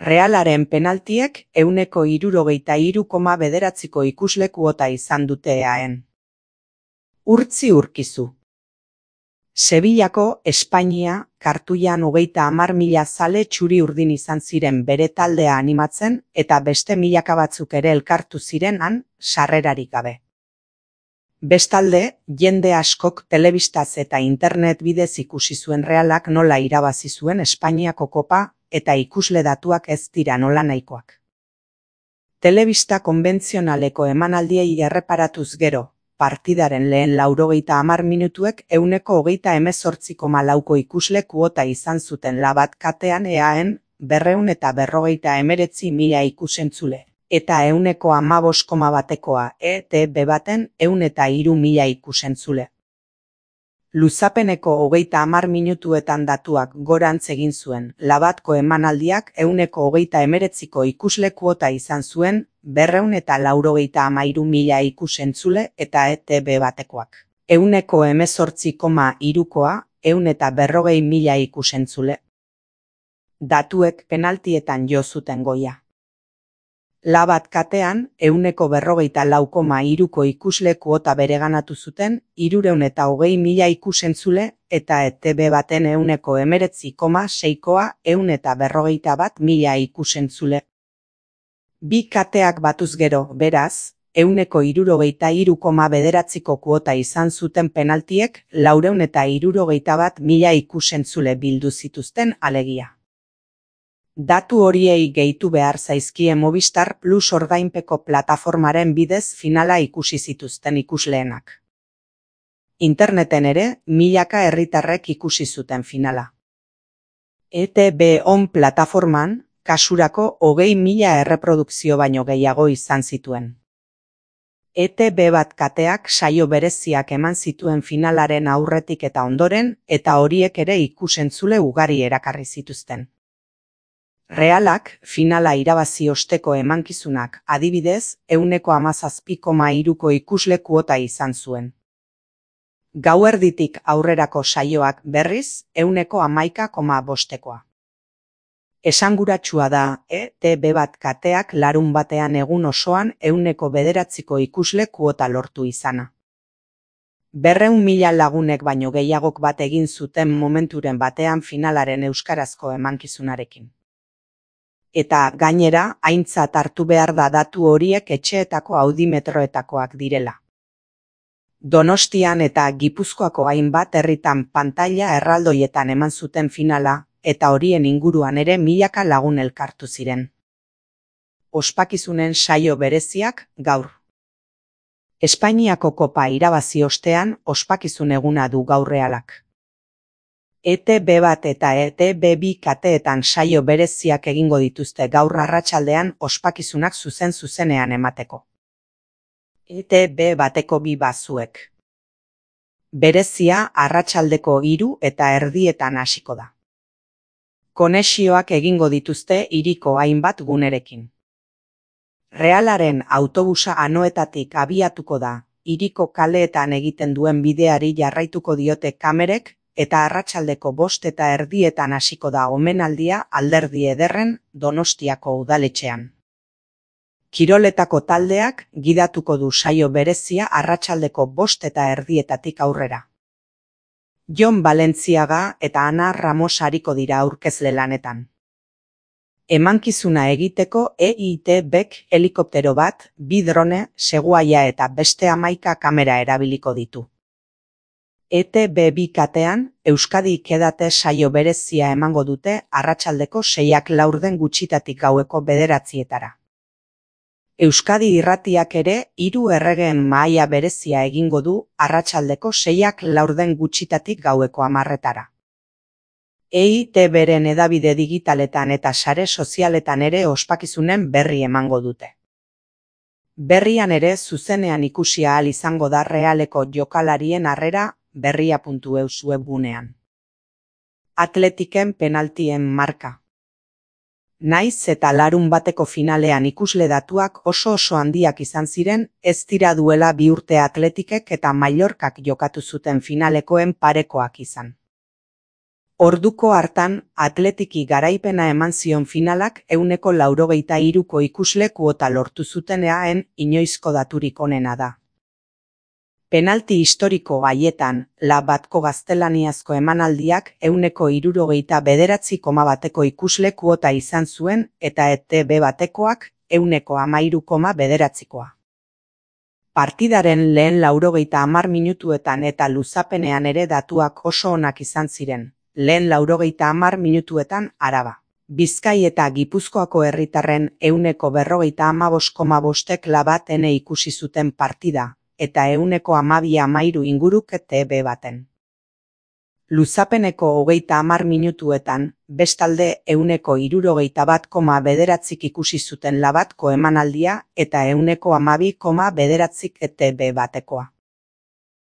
Realaren penaltiek 63,9ko ikusle kuota izan dute eaen. Urtzi Urkizu. Sevillako Espainia kartuian 30.000 zale txuri-urdin izan ziren bere taldea animatzen eta beste milaka batzuk ere elkartu ziren han sarrerarik gabe. Bestalde, jende askok telebistaz eta internet bidez ikusi zuen Realak nola irabazi zuen Espainiako kopa eta ikusle datuak ez dira nola nahikoak. Telebista konbentzionaleko emanaldiei erreparatuz gero, partidaren lehen 90 minutuek 128,4ko ikusle kuota izan zuten Labat katean eaen 259.000 ikusentzule, eta 115,1koa ETB baten 103.000 ikusentzule. Luzapeneko 30 minutuetan datuak gorantz egin zuen, Labatko emanaldiak 129ko ikusle kuota izan zuen 293.000 ikusentzule eta ETB batekoak 118,3koa 140.000 ikusentzule. Datuek penaltietan jo zuten goia. Labat katean 144,3ko ikusle kuota bereganatu zuten 320.000 ikusentzule eta ETB baten 119,6koa 141.000 ikusentzule. Bi kateak batuz gero, beraz, 163,9ko kuota izan zuten penaltiek 461.000 ikusentzule bildu zituzten alegia. Datu horiei gehitu behar zaizkie Movistar Plus ordainpeko plataformaren bidez finala ikusi zituzten ikusleenak. Interneten ere, milaka herritarrek ikusi zuten finala. ETB On plataforman, kasurako 20.000 erreprodukzio baino gehiago izan zituen. ETB bat kateak saio bereziak eman zituen finalaren aurretik eta ondoren, eta horiek ere ikusentzule ugari erakarri zituzten. Realak finala irabazi osteko emankizunak adibidez 117,3ko ikusle kuota izan zuen. Gauerditik aurrerako saioak berriz 111,5koa. Esanguratsua da ETB bat kateak larun batean egun osoan 109ko ikusle kuota lortu izana. 200.000 lagunek baino gehiagok bat egin zuten momenturen batean finalaren euskarazko emankizunarekin. Eta gainera, aintzat hartu behar da datu horiek etxeetako audimetroetakoak direla. Donostian eta Gipuzkoako hainbat herritan pantaila erraldoietan eman zuten finala, eta horien inguruan ere milaka lagun elkartu ziren. Ospakizunen saio bereziak gaur. Espainiako kopa irabazi ostean ospakizun eguna du gaur Realak. ETB bat eta ETB bi kateetan saio bereziak egingo dituzte gaur arratsaldean ospakizunak zuzenean emateko. ETB bateko bi bazuek. Berezia arratsaldeko 3:30 hasiko da. Konexioak egingo dituzte hiriko hainbat gunerekin. Realaren autobusa Anoetatik abiatuko da, hiriko kaleetan egiten duen bideari jarraituko diote kamerek, eta arratsaldeko 5:30 hasiko da omenaldia Alderdi Ederren Donostiako udaletxean. Kiroletako taldeak gidatuko du saio berezia arratsaldeko 5:30 aurrera. Jon Balentziaga eta Ana Ramos ariko dira aurkezle lanetan. Emankizuna egiteko EITBek helikoptero bat, 2 drone, seguaia eta beste 11 kamera erabiliko ditu. ETB bi katean, Euskadi Ikedate saio berezia emango dute arratsaldeko 6:00 gutxitatik gaueko 9:00. Euskadi Irratiak ere 3 erregeen mahaia berezia egingo du arratsaldeko 6:00 gutxitatik gaueko 10:00. EITBren hedabide digitaletan eta sare sozialetan ere ospakizunen berri emango dute. Berrian ere zuzenean ikusi ahal izango da Realeko jokalarien harrera berria.eus webgunean. Atletiken penaltien marka. Naiz eta larun bateko finalean ikusle datuak oso handiak izan ziren, ez dira duela 2 urte Atletikek eta Mallorcak jokatu zuten finalekoen parekoak izan. Orduko hartan, Atletiki garaipena eman zion finalak 93ko ikusle kuota lortu zutenean inoizko daturik onena da. Penalti historiko haietan, La batko gaztelaniazko emanaldiak 169,1ko ikusle kuota izan zuen eta ETB batekoak 113,9koa. Partidaren lehen 90 minutuetan eta luzapenean ere datuak oso onak izan ziren. Lehen 90 minutuetan Araba, Bizkai eta Gipuzkoako herritarren 155,5ek La bat ene ikusi zuten partida, eta 112,13 inguruk ETB baten. Luzapeneko 30 minutuetan, bestalde 161,9ik ikusi zuten La batko emanaldia eta 112,9 ETB batekoa.